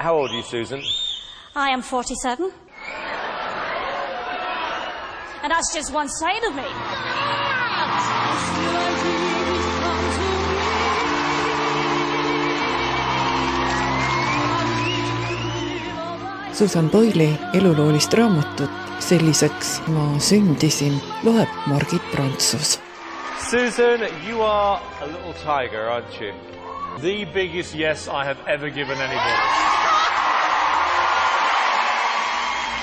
How old are you, Susan? I am 47. And that's just one side of me. Susan Boyle'i eluloolist raamatut Selliseks ma sündisin loeb Margit Prantsus. Susan, you are a little tiger, aren't you? The biggest yes I have ever given anybody.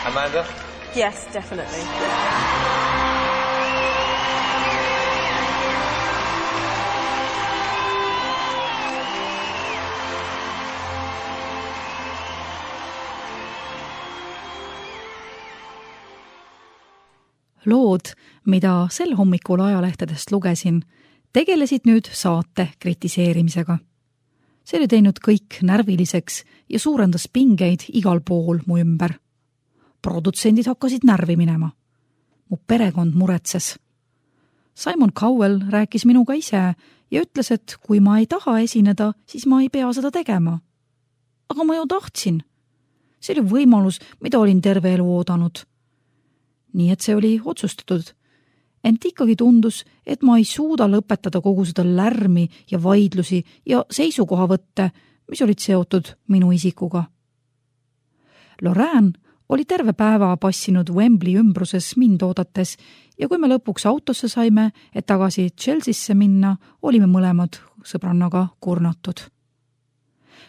Amanda? Yes, definitely. Lood, mida sel hommikul ajalehtedest lugesin, tegelesid nüüd saate kritiseerimisega. See oli teinud kõik närviliseks ja suurendas pingeid igal pool mu ümber. Produtsendid hakkasid närvi minema. Mu perekond muretses. Simon Cowell rääkis minuga ise ja ütles, et kui ma ei taha esineda, siis ma ei pea seda tegema. Aga ma ju tahtsin. See oli võimalus, mida olin terve elu oodanud. Nii et see oli otsustatud. Ent ikkagi tundus, et ma ei suuda lõpetada kogu seda lärmi ja vaidlusi ja seisukohavõtte, mis olid seotud minu isikuga. Lorraine oli terve päeva passinud Wembley ümbruses mind oodates ja kui me lõpuks autosse saime, et tagasi Chelseasse minna, olime mõlemad sõbrannaga kurnatud.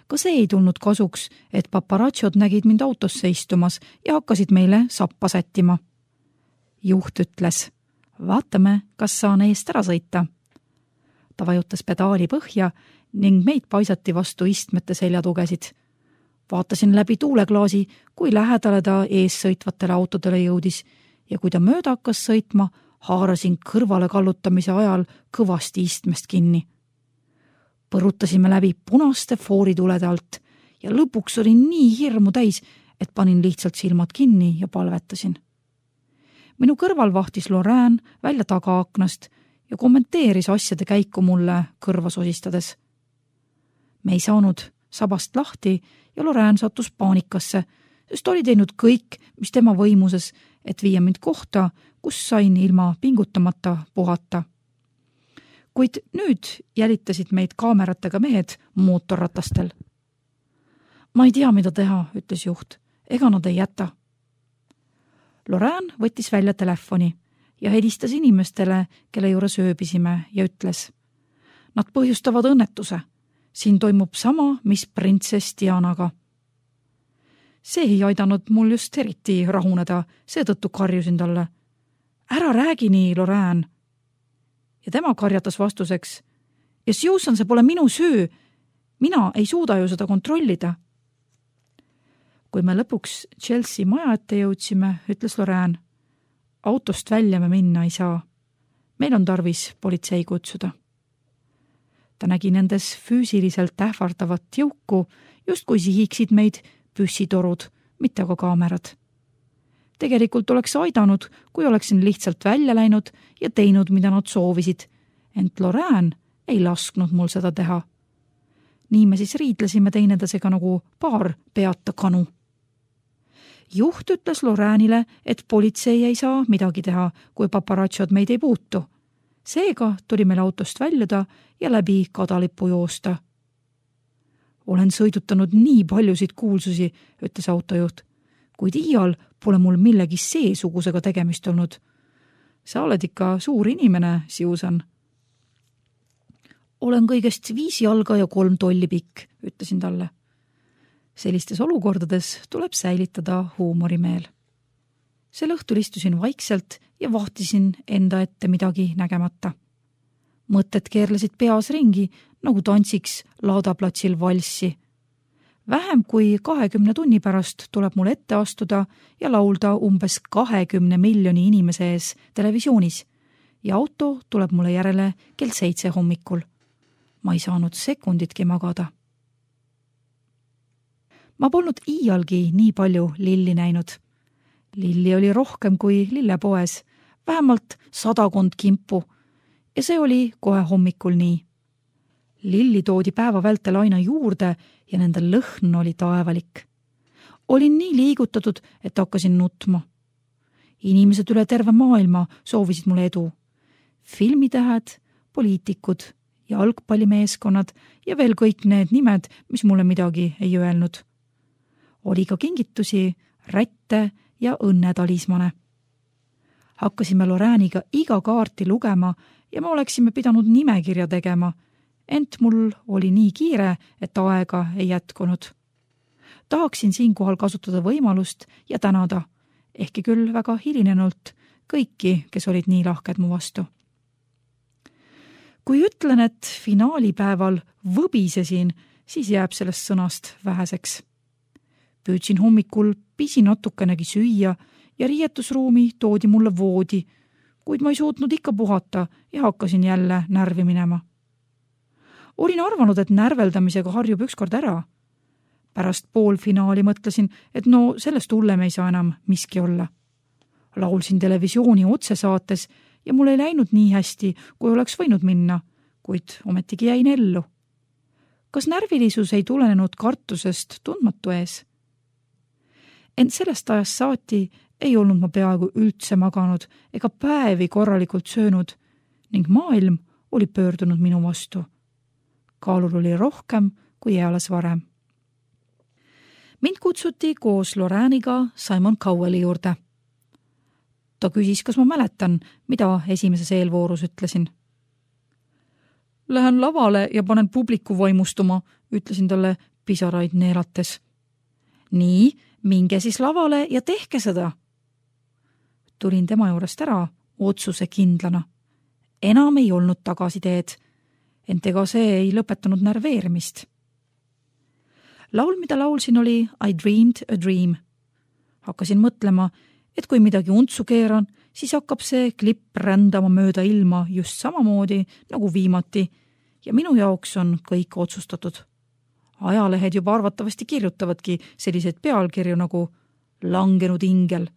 Ka see ei tulnud kasuks, et paparatšod nägid mind autosse istumas ja hakkasid meile sappa sättima. Juht ütles, vaatame, kas saan eest ära sõita. Ta vajutas pedaali põhja ning meid paisati vastu istmete seljatugesid. Vaatasin läbi tuuleklaasi, kui lähedale ta ees sõitvatele autodele jõudis ja kui ta mööda hakkas sõitma, haarasin kõrvale kallutamise ajal kõvasti istmest kinni. Põrutasime läbi punaste fooritulede alt ja lõpuks olin nii hirmu täis, et panin lihtsalt silmad kinni ja palvetasin. Minu kõrval vahtis Lorraine välja tagaaknast ja kommenteeris asjade käiku mulle kõrva sosistades. Me ei saanud sabast lahti ja Lorraine sattus paanikasse, sest oli teinud kõik, mis tema võimuses, et viia mind kohta, kus sain ilma pingutamata puhata. Kuid nüüd jälitasid meid kaameratega mehed mootorratastel. Ma ei tea, mida teha, ütles juht. Ega nad ei jäta. Lorraine võttis välja telefoni ja helistas inimestele, kelle juures ööbisime ja ütles. Nad põhjustavad õnnetuse. Siin toimub sama, mis printsess Dianaga. See ei aidanud mul just eriti rahuneda, seetõttu karjusin talle. Ära räägi nii, Lorraine. Ja tema karjatas vastuseks. Ja Susan, see pole minu süü. Mina ei suuda ju seda kontrollida. Kui me lõpuks Chelsea maja ette jõudsime, ütles Lorraine. Autost välja me minna ei saa. Meil on tarvis politsei kutsuda. Ta nägi nendes füüsiliselt ähvardavat jõuku, just kui sihiksid meid püssitorud, mitte aga kaamerad. Tegelikult oleks aidanud, kui oleksin lihtsalt välja läinud ja teinud, mida nad soovisid, ent Lorraine ei lasknud mul seda teha. Nii me siis riidlesime teinedesega nagu paar peata kanu. Juht ütles Lorraine'ile, et politsei ei saa midagi teha, kui paparatšod meid ei puutu. Seega tuli meil autost väljuda ja läbi kadalipu joosta. Olen sõidutanud nii paljusid kuulsusi, ütles autojuht, kuid iial pole mul millegi seesugusega tegemist olnud. Sa oled ikka suur inimene, Susan. Olen kõigest 5 jalga ja 3 tolli pikk, ütlesin talle. Sellistes olukordades tuleb säilitada huumorimeel. Sel õhtul istusin vaikselt ja vahtisin enda ette midagi nägemata. Mõtted keerlesid peas ringi, nagu tantsiks laadaplatsil valssi. Vähem kui 20 tunni pärast tuleb mul ette astuda ja laulda umbes 20 miljoni inimese ees televisioonis ja auto tuleb mulle järele kell 7 hommikul. Ma ei saanud sekunditki magada. Ma polnud iialgi nii palju lilli näinud. Lilli oli rohkem kui lillepoes, vähemalt 100 kimpu ja see oli kohe hommikul nii. Lilli toodi päeva vältel aina juurde ja nende lõhn oli taevalik. Olin nii liigutatud, et hakkasin nutma. Inimesed üle terve maailma soovisid mulle edu. Filmitähed, poliitikud, jalgpallimeeskonnad ja veel kõik need nimed, mis mulle midagi ei öelnud. Oli ka kingitusi, rätte ja õnnetalismane. Hakkasime Lorääniga iga kaarti lugema ja me oleksime pidanud nimekirja tegema, ent mul oli nii kiire, et aega ei jätkunud. Tahaksin siinkohal kasutada võimalust ja tänada, ehkki küll väga hilinenult, kõiki, kes olid nii lahked mu vastu. Kui ütlen, et finaalipäeval võbisesin, siis jääb sellest sõnast väheseks. Püüdsin hommikul pisi natukenegi süüa ja riietusruumi toodi mulle voodi, kuid ma ei suutnud ikka puhata ja hakkasin jälle närvi minema. Olin arvanud, et närveldamisega harjub ükskord ära. Pärast poolfinaali mõtlesin, et no sellest hullem ei saa enam miski olla. Laulsin televisiooni otsesaates ja mul ei läinud nii hästi, kui oleks võinud minna, kuid ometigi jäin ellu. Kas närvilisus ei tulenenud kartusest tundmatu ees? Ent sellest ajast saati ei olnud ma peaaegu üldse maganud ega päevi korralikult söönud ning maailm oli pöördunud minu vastu. Kaalul oli rohkem kui eales varem. Mind kutsuti koos Lorääniga Simon Cowelli juurde. Ta küsis, kas ma mäletan, mida esimeses eelvoorus ütlesin. Lähen lavale ja panen publiku vaimustuma, ütlesin talle pisaraid neelates. Nii, minge siis lavale ja tehke seda. Tulin tema juurest ära otsuse kindlana. Enam ei olnud tagasiteed, ent ega see ei lõpetanud närveerimist. Laul, mida laulsin, oli I Dreamed a Dream. Hakkasin mõtlema, et kui midagi untsu keeran, siis hakkab see klipp rändama mööda ilma just samamoodi nagu viimati ja minu jaoks on kõik otsustatud. Ajalehed juba arvatavasti kirjutavadki selliseid pealkirju nagu langenud ingel.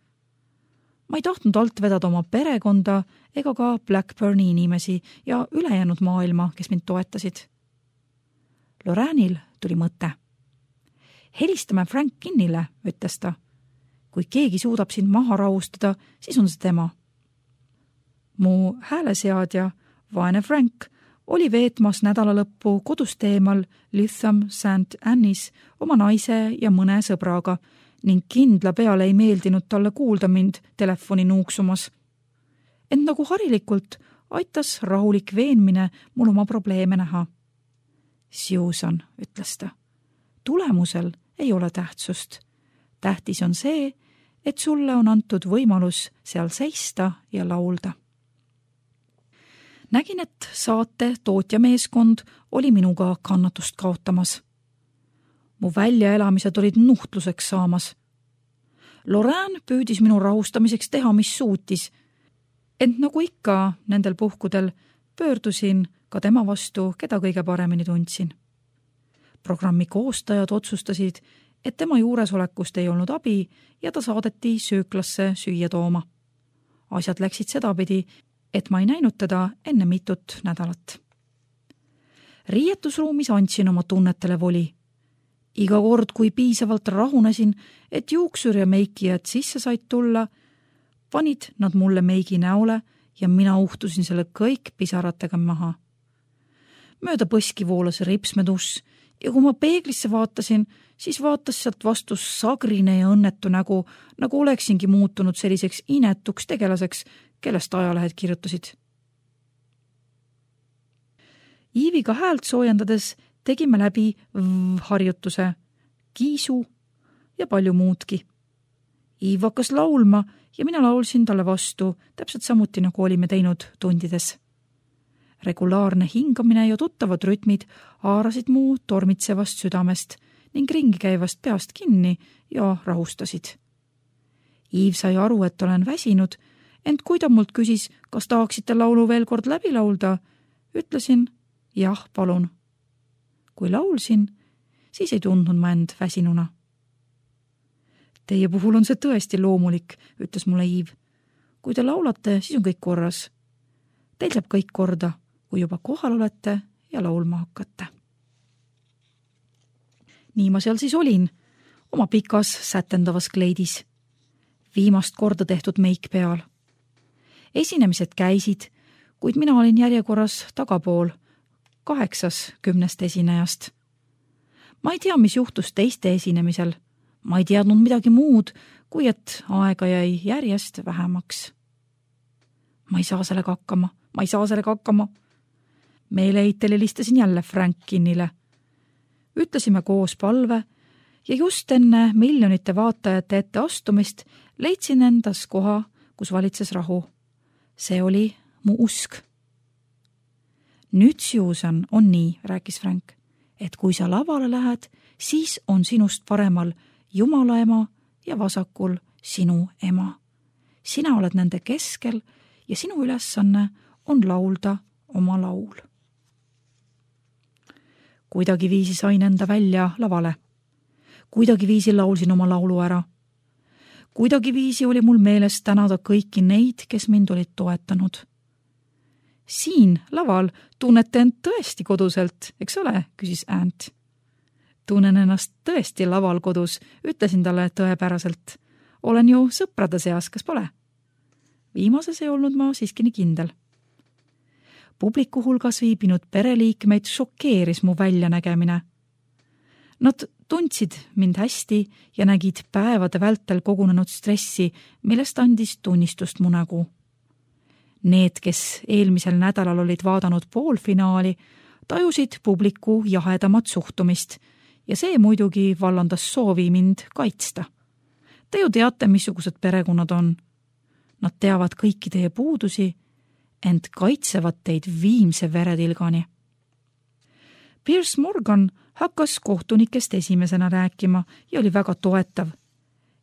Ma ei tahtnud alt vedada oma perekonda ega ka Blackburni inimesi ja ülejäänud maailma, kes mind toetasid. Loräänil tuli mõte. Helistame Frank Kinnile, ütles ta. Kui keegi suudab sind maha rahustada, siis on see tema. Mu hääleseadja, vaene Frank, oli veetmas nädalalõppu kodust eemal Lytham St. Annis oma naise ja mõne sõbraga ning kindla peale ei meeldinud talle kuulda mind telefoni nuuksumas. Ent nagu harilikult aitas rahulik veenmine mul oma probleeme näha. Susan, ütles ta, tulemusel ei ole tähtsust. Tähtis on see, et sulle on antud võimalus seal seista ja laulda. Nägin, et saate tootjameeskond oli minuga kannatust kaotamas. Mu väljaelamised olid nuhtluseks saamas. Lorään püüdis minu rahustamiseks teha, mis suutis, ent nagu ikka nendel puhkudel pöördusin ka tema vastu, keda kõige paremini tundsin. Programmi koostajad otsustasid, et tema juuresolekust ei olnud abi ja ta saadeti sööklasse süüa tooma. Asjad läksid sedapidi, et ma ei näinud teda enne mitut nädalat. Riietusruumis andsin oma tunnetele voli. Iga kord, kui piisavalt rahunesin, et juuksur ja meikijad sisse said tulla, panid nad mulle meigi näole ja mina uhtusin selle kõik pisaratega maha. Mööda põski voolas ripsmeduss ja kui ma peeglisse vaatasin, siis vaatas sealt vastu sagrine ja õnnetu nägu, nagu oleksingi muutunud selliseks inetuks tegelaseks, kellest ajalehed kirjutasid. Iiviga häält soojendades tegime läbi harjutuse, kiisu ja palju muudki. Iiv hakkas laulma ja mina laulsin talle vastu, täpselt samuti nagu olime teinud tundides. Regulaarne hingamine ja tuttavad rütmid haarasid mu tormitsevast südamest ning ringi käivast peast kinni ja rahustasid. Iiv sai aru, et olen väsinud, ent kui ta mult küsis, kas tahaksite laulu veel kord läbi laulda, ütlesin, jah, palun. Kui laulsin, siis ei tundnud ma end väsinuna. Teie puhul on see tõesti loomulik, ütles mulle Iiv. Kui te laulate, siis on kõik korras. Teil saab kõik korda, kui juba kohal olete ja laulma hakata. Nii ma seal siis olin, oma pikas sätendavas kleidis, viimast korda tehtud meik peal. Esinemised käisid, kuid mina olin järjekorras tagapool, 8-10 esinejast. Ma ei tea, mis juhtus teiste esinemisel. Ma ei teadnud midagi muud, kui et aega jäi järjest vähemaks. Ma ei saa sellega hakkama. Meeleheitel helistasin jälle Frankinile. Ütlesime koos palve ja just enne miljonite vaatajate ette astumist leidsin endas koha, kus valitses rahu. See oli mu usk. Nüüd, Susan, on nii, rääkis Frank, et kui sa lavale lähed, siis on sinust paremal Jumala ema ja vasakul sinu ema. Sina oled nende keskel ja sinu ülesanne on laulda oma laul. Kuidagi viisi sain enda välja lavale. Kuidagi viisi laulsin oma laulu ära. Kuidagi viisi oli mul meeles tänada kõiki neid, kes mind olid toetanud. Siin laval tunnete end tõesti koduselt, eks ole, küsis Ant. Tunnen ennast tõesti laval kodus, ütlesin talle tõepäraselt. Olen ju sõprade seas, kas pole? Viimases ei olnud ma siiski nii kindel. Publiku hulgas viibinud pereliikmeid šokeeris mu väljanägemine. Nad tundsid mind hästi ja nägid päevade vältel kogunenud stressi, millest andis tunnistust mu nägu. Need, kes eelmisel nädalal olid vaadanud poolfinaali, tajusid publiku jahedamat suhtumist ja see muidugi vallandas soovi mind kaitsta. Te ju teate, missugused perekonnad on. Nad teavad kõiki teie puudusi, ent kaitsevad teid viimse veretilgani. Piers Morgan hakkas kohtunikest esimesena rääkima ja oli väga toetav.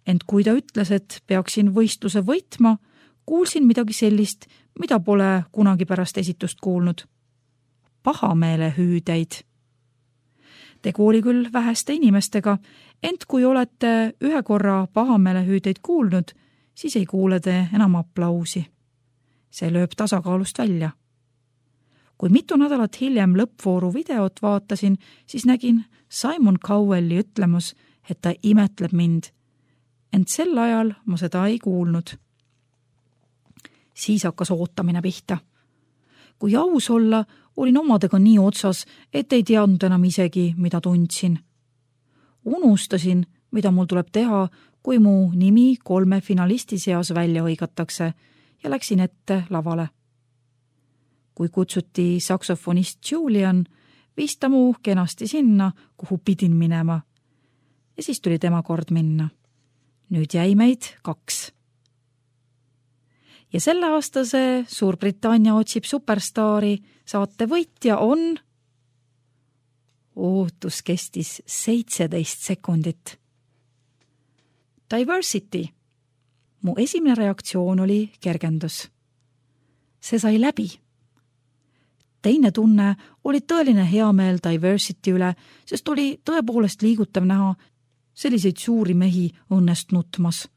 Ent kui ta ütles, et peaksin võistluse võitma, kuulsin midagi sellist, mida pole kunagi pärast esitust kuulnud. Pahameele hüüdeid. Tegu oli küll väheste inimestega, ent kui olete ühe korra pahameele hüüdeid kuulnud, siis ei kuule te enam aplausi. See lööb tasakaalust välja. Kui mitu nädalat hiljem lõppvooru videot vaatasin, siis nägin Simon Cowelli ütlemus, et ta imetleb mind. Ent sel ajal ma seda ei kuulnud. Siis hakkas ootamine pihta. Kui aus olla, olin omadega nii otsas, et ei teadnud enam isegi, mida tundsin. Unustasin, mida mul tuleb teha, kui mu nimi 3 finalisti seas välja hõigatakse ja läksin ette lavale. Kui kutsuti saksofonist Julian, viis ta mu kenasti sinna, kuhu pidin minema. Ja siis tuli tema kord minna. Nüüd jäi meid 2. Ja selle aastase Suurbritannia otsib superstaari saate võitja on... Ootus kestis 17 sekundit. Diversity. Mu esimene reaktsioon oli kergendus. See sai läbi. Teine tunne oli tõeline heameel Diversity üle, sest oli tõepoolest liigutav näha selliseid suuri mehi õnnest nutmas.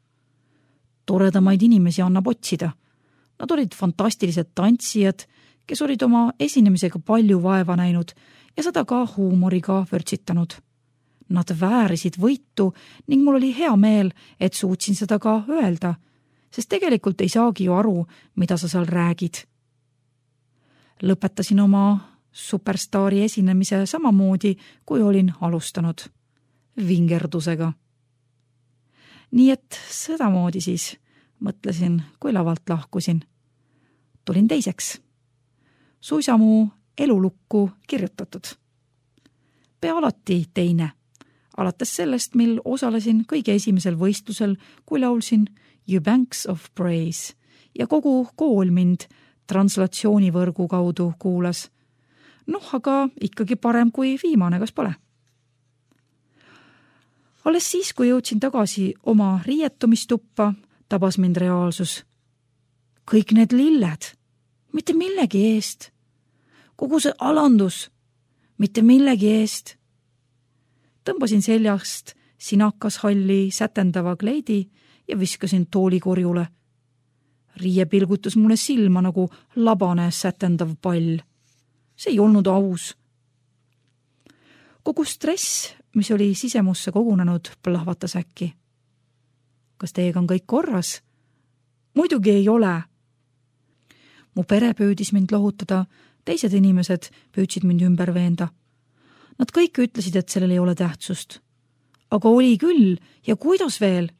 Toredamaid inimesi annab otsida. Nad olid fantastilised tantsijad, kes olid oma esinemisega palju vaeva näinud ja seda ka huumoriga vörtsitanud. Nad väärisid võitu ning mul oli hea meel, et suutsin seda ka öelda, sest tegelikult ei saagi ju aru, mida sa seal räägid. Lõpetasin oma superstaari esinemise samamoodi, kui olin alustanud. Vingerdusega. Nii et sedamoodi siis, mõtlesin, kui lavalt lahkusin. Tulin teiseks. Suisa mu elulukku kirjutatud. Pea alati teine. Alates sellest, mil osalesin kõige esimesel võistlusel, kui laulsin You Banks of Praise ja kogu kool mind translatsioonivõrgu kaudu kuulas. Aga ikkagi parem kui viimane, kas pole? Alles siis, kui jõudsin tagasi oma riietumistuppa, tabas mind reaalsus. Kõik need lilled, mitte millegi eest. Kogu see alandus, mitte millegi eest. Tõmbasin seljast sinakas halli sätendava kleidi ja viskasin toolikorjule. Riie pilgutas mulle silma nagu labane sätendav pall. See ei olnud aus, Kogu stress, mis oli sisemusse kogunenud, plahvatas äkki. Kas teiega on kõik korras? Muidugi ei ole. Mu pere püüdis mind lohutada, teised inimesed püüdsid mind ümber veenda. Nad kõik ütlesid, et sellel ei ole tähtsust. Aga oli küll ja kuidas veel?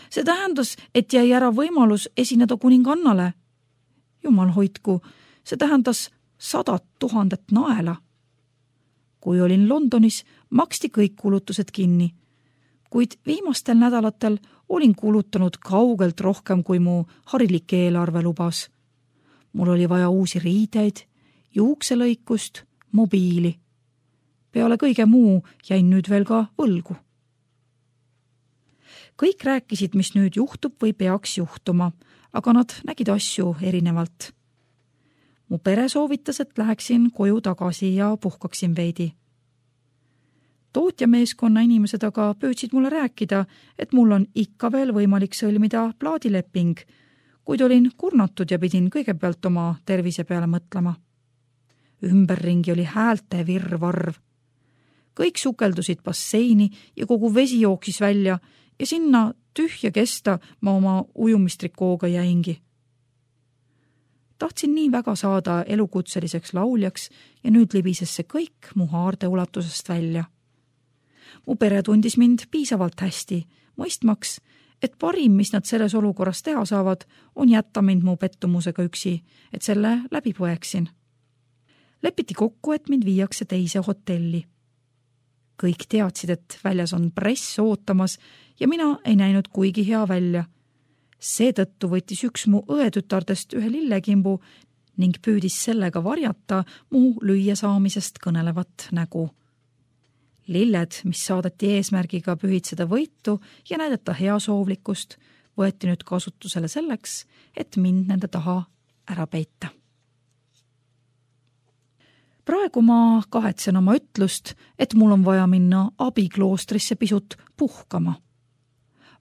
See tähendas, et jäi ära võimalus esineda kuningannale. Jumal hoidku, see tähendas 100 000 naela. Kui olin Londonis, maksti kõik kulutused kinni, kuid viimastel nädalatel olin kulutanud kaugelt rohkem, kui mu harilik eelarve lubas. Mul oli vaja uusi riideid, juukselõikust, mobiili. Peale kõige muu jäin nüüd veel ka võlgu. Kõik rääkisid, mis nüüd juhtub või peaks juhtuma, aga nad nägid asju erinevalt. Mu pere soovitas, et läheksin koju tagasi ja puhkaksin veidi. Tootjameeskonna inimesed aga püüdsid mulle rääkida, et mul on ikka veel võimalik sõlmida plaadileping, kuid olin kurnatud ja pidin kõigepealt oma tervise peale mõtlema. Ümberringi oli häälte virvarv. Kõik sukeldusid basseini ja kogu vesi jooksis välja ja sinna tühja kesta ma oma ujumistrikooga jäingi. Tahtsin nii väga saada elukutseliseks lauljaks ja nüüd libises see kõik mu haarde ulatusest välja. Mu pere tundis mind piisavalt hästi, mõistmaks, et parim, mis nad selles olukorras teha saavad, on jätta mind mu pettumusega üksi, et selle läbi põeksin. Lepiti kokku, et mind viiakse teise hotelli. Kõik teadsid, et väljas on press ootamas ja mina ei näinud kuigi hea välja. Seetõttu võttis üks mu õetütardest ühe lillekimbu ning püüdis sellega varjata mu lüüasaamisest kõnelevat nägu. Lilled, mis saadeti eesmärgiga pühitseda võitu ja näidata heasoovlikkust, võeti nüüd kasutusele selleks, et mind nende taha ära peita. Praegu ma kahetsen oma ütlust, et mul on vaja minna abikloostrisse pisut puhkama.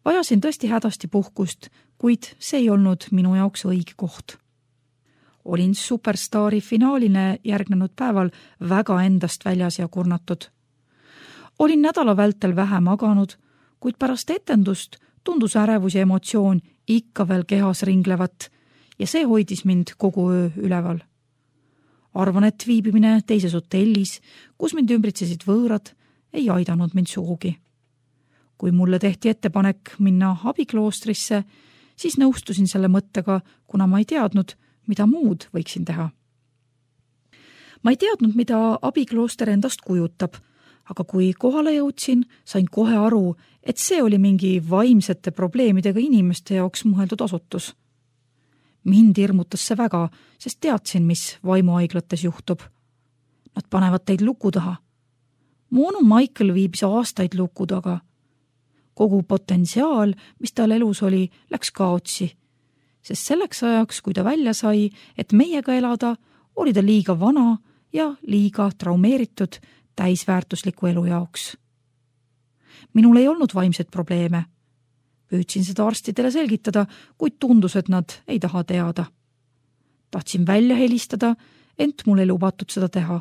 Vajasin tõesti hädasti puhkust, kuid see ei olnud minu jaoks õige koht. Olin Superstaari finaalile järgnenud päeval väga endast väljas ja kurnatud. Olin nädala vältel vähe maganud, kuid pärast etendust tundus ärevus ja emotsioon ikka veel kehas ringlevat ja see hoidis mind kogu öö üleval. Arvan, et viibimine teises hotellis, kus mind ümbritsesid võõrad, ei aidanud mind sugugi. Kui mulle tehti ettepanek minna abikloostrisse, siis nõustusin selle mõttega, kuna ma ei teadnud, mida muud võiksin teha. Ma ei teadnud, mida abiklooster endast kujutab, aga kui kohale jõudsin, sain kohe aru, et see oli mingi vaimsete probleemidega inimeste jaoks mõeldud asutus. Mind hirmutas see väga, sest teadsin, mis vaimuhaiglates juhtub. Nad panevad teid luku taha. Mu onu Michael viibis aastaid luku taga. Kogu potentsiaal, mis tal elus oli, läks kaotsi, sest selleks ajaks, kui ta välja sai, et meiega elada, oli ta liiga vana ja liiga traumeeritud täisväärtusliku elu jaoks. Minul ei olnud vaimseid probleeme. Püüdsin seda arstidele selgitada, kuid tundus, et nad ei taha teada. Tahtsin välja helistada, ent mul ei lubatud seda teha.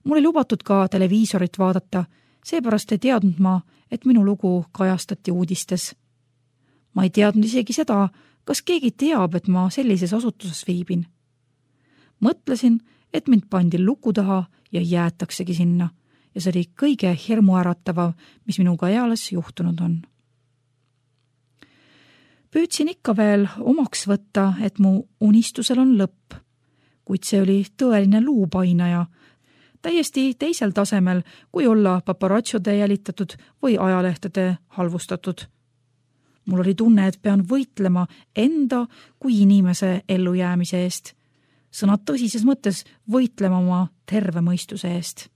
Mul ei lubatud ka televiisorit vaadata, seepärast ei teadnud ma, et minu lugu kajastati uudistes. Ma ei teadnud isegi seda, kas keegi teab, et ma sellises asutuses viibin. Mõtlesin, et mind pandi luku taha ja jäetaksegi sinna ja see oli kõige hirmuäratavam, mis minuga eales juhtunud on. Püüdsin ikka veel omaks võtta, et mu unistusel on lõpp, kuid see oli tõeline luupainaja, täiesti teisel tasemel, kui olla paparatsode jälitatud või ajalehtede halvustatud. Mul oli tunne, et pean võitlema enda kui inimese ellujäämise eest, sõna tõsises mõttes võitlema oma terve mõistuse eest.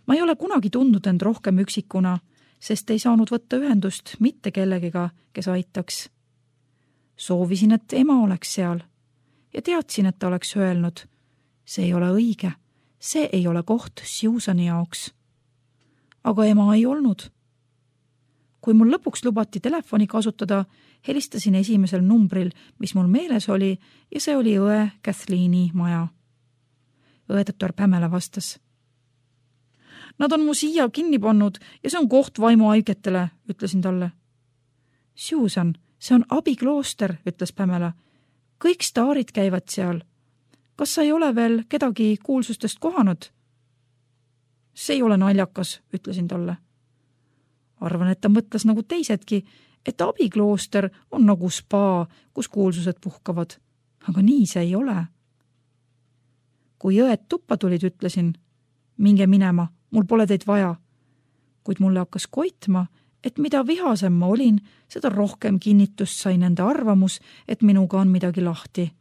Ma ei ole kunagi tundnud end rohkem üksikuna, sest ei saanud võtta ühendust mitte kellegiga, kes aitaks. Soovisin, et ema oleks seal ja teadsin, et ta oleks öelnud, see ei ole õige, see ei ole koht Susani jaoks. Aga ema ei olnud. Kui mul lõpuks lubati telefoni kasutada, helistasin esimesel numbril, mis mul meeles oli, ja see oli õe Kathleeni maja. Õetütar Pamela vastas. Nad on mu siia kinni pannud ja see on koht vaimuhaigetele, ütlesin talle. Susan, see on abiklooster, ütles Pamela. Kõik staarid käivad seal. Kas sa ei ole veel kedagi kuulsustest kohanud? See ei ole naljakas, ütlesin talle. Arvan, et ta mõtles nagu teisedki, et abiklooster on nagu spa, kus kuulsused puhkavad. Aga nii see ei ole. Kui õed tuppa tulid, ütlesin, minge minema, mul pole teid vaja. Kuid mulle hakkas koitma, et mida vihasem ma olin, seda rohkem kinnitust sai nende arvamus, et minuga on midagi lahti.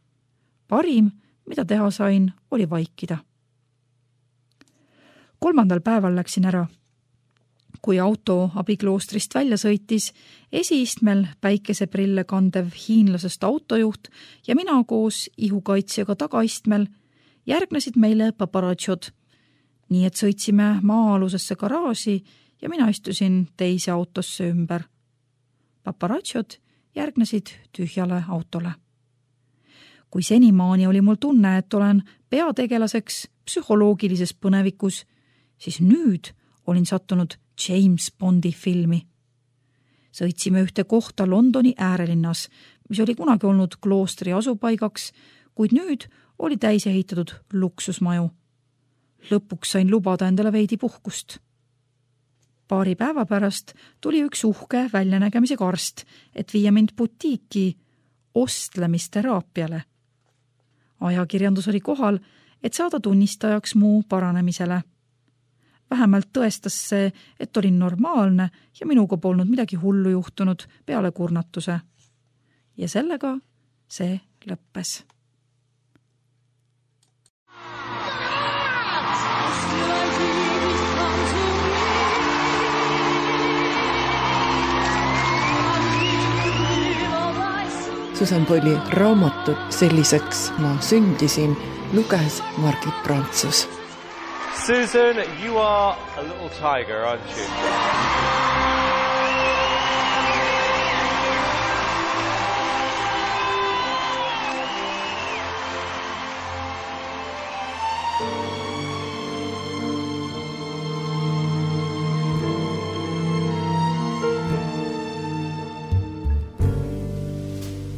Parim, mida teha sain, oli vaikida. 3. päeval läksin ära. Kui auto abikloostrist välja sõitis, esiistmel päikeseprille kandev hiinlasest autojuht ja mina koos ihukaitsjaga tagaistmel järgnesid meile paparatšod, nii et sõitsime maa-alusesse garaaži ja mina istusin teise autosse ümber. Paparatšod järgnesid tühjale autole. Kui senimaani oli mul tunne, et olen peategelaseks psühholoogilises põnevikus, siis nüüd olin sattunud James Bondi filmi. Sõitsime ühte kohta Londoni äärelinnas, mis oli kunagi olnud kloostri asupaigaks, kuid nüüd oli täis ehitatud luksusmaju. Lõpuks sain lubada endale veidi puhkust. Paari päeva pärast tuli üks uhke väljanägemisega arst, et viia mind butiiki ostlemisteraapiale. Ajakirjandus oli kohal, et saada tunnistajaks mu paranemisele. Vähemalt tõestas see, et olin normaalne ja minuga polnud midagi hullu juhtunud peale kurnatuse. Ja sellega see lõppes. Susan Boyle'i raamatut Selliseks ma sündisin luges Margit Prantsus. Susan, you are a little tiger, aren't you?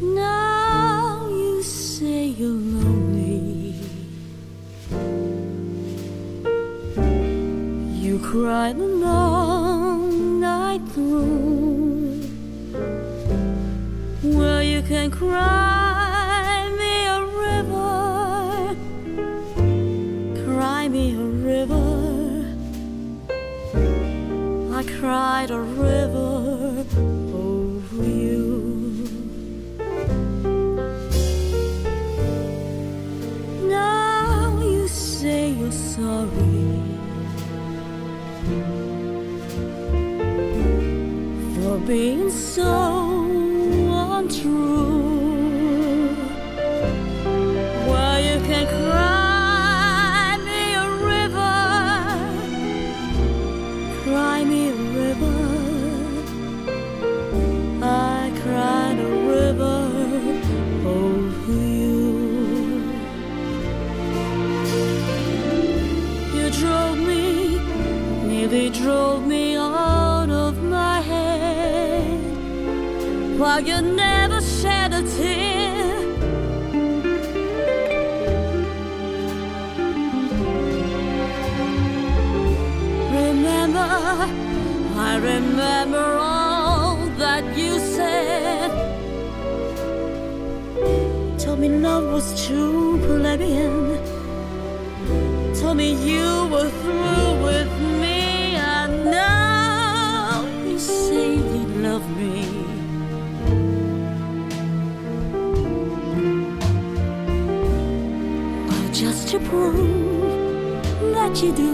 Now you say you're lonely. You cried the long night through. Well, you can cry me a river. Cry me a river. I cried a river over you. Now you say you're sorry for being so untrue. Well, you can cry me a river. Cry me a river. I cried a river over you. You drove me, nearly drove me out of my head, while you never shed a tear. Remember, I remember all that you said. Told me love was too plebeian. Told me you were through with me. And now you say you love me. Well, just to prove that you do.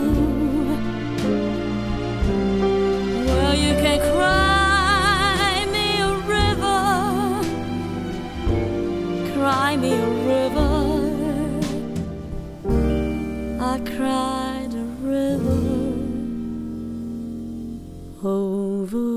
Well, you can cry me a river. Cry me a river. I cried a river over